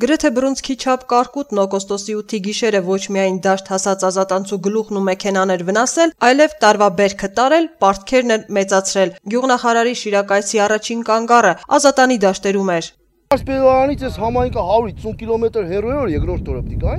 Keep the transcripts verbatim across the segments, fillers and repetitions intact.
Գրեթե բռունցքի չափ կարկուտն օգոստոսի ութի գիշերը ոչ միայն դաշտ հասած ազատանցու գլուխն ու մեքենաներ վնասել, այլև տարվա բերքը տարել, պարտքերն էլ մեծացրել։ Գյուղնախարարի Շիրակայցի առաջին կանգառը Ազատանի դաշտերում էր։ Ասպելարանից էս համայնքը հարյուր ութսուն կիլոմետր հեռու է, երկրորդ օրը պիտի գա։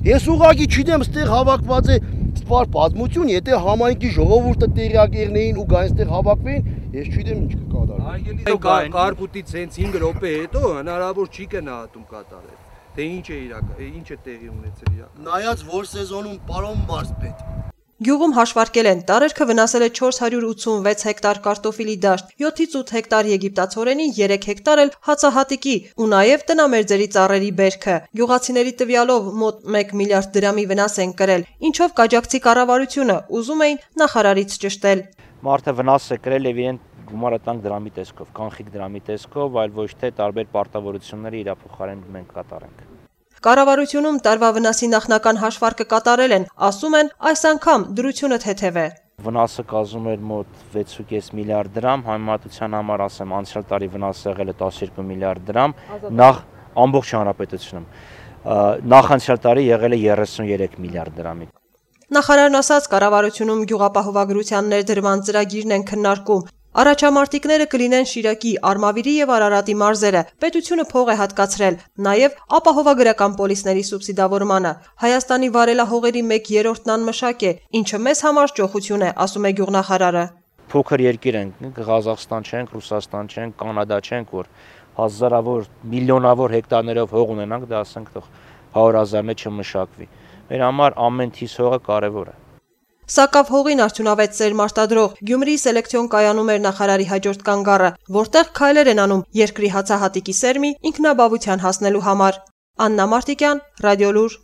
Ես ուղղակի չգիտեմ, ստեղ հավաքված է սպար պատմություն, եթե համայնքի ժողովուրդը տեղյակ եղնեին ու գային ստեղ հավաքվեին, ես չգիտեմ ինչ կկատարվեր։ Կարկուտից հենց հինգ րոպե հետո հնարավոր չի գնահատում կատարել։ Թե ինչ է իրական, ինչ է տեղի ունեցել իրական։ Նայած որ սեզոնում պարոն մարզպետ։ Գյուղում հաշվարկել են, տարերքը վնասել է չորս հարյուր ութսունվեց հեկտար կարտոֆիլի դաշտ, յոթից ութ հեկտար եգիպտացորենի, երեք հեկտար էլ հացահատիկի ու նաև տնամերձերի ծառերի բերքը։ Գյուղացիների տվյալով մոտ մեկ միլիարդ դրամի վնաս են կրել, ինչով կաջակցի կառավարությունը ուզում էին նախարարից ճշտել։ Մարդը վնաս է կրել եւ իրեն գումարը տանք դրամի տեսքով, կանխիկ դրամի տեսքով, այլ ոչ թե տարբեր պարտավորությունների իր փոխարեն մենք կատարենք։ Կառավարությունում տարվա վնասի նախնական հաշվարկը կատարել են, ասում են այս անգամ դրությունը թեթև է։ Վնասը կազմում էր մոտ վեց ու կես միլիարդ դրամ, համեմատության համար ասեմ անցյալ տարի վնասը եղել է տասներկու միլիարդ դրամ, նախ ամբողջ հանրապետությունում, նախանցյալ տարի եղել է երեսունյերեք միլիարդ դրամի։ Նախարարն ասաց, կառավարությունում գյուղապահովագրության ներդրման ծրագիրն են քննարկում։ Առաջամարտիկները կլինեն Շիրակի, Արմավիրի եւ Արարատի մարզերը, պետությունը փող է հատկացրել, նաեւ ապահովագրական պոլիսների սուբսիդավորմանը։ Հայաստանի վարելահողերի մեկ երրորդն անմշակ է, ինչը մեզ համար ճոխություն է, ասում է գյուղնախարարը։ Փոքր երկիր ենք, Ղազախստան չենք, Ռուսաստան չենք, Կանադա չենք, որ հազարավոր, միլիոնավոր հեկտարներով հող ունենանք, դա ասենք թող հարյուր հազարն չմշակվի։ Մեր համար ամեն թիվ հողը կարևոր է։ Սակավ հողին արդյունավետ սերմ արտադրող Գյումրիի սելեկցիոն կայանում էր նախարարի հաջորդ կանգառը, որտեղ քայլեր են անում երկրի հացահատիկի սերմի ինքնաբավության հասնելու համար։ Աննա Մարտիկյան, Ռադիոլուր։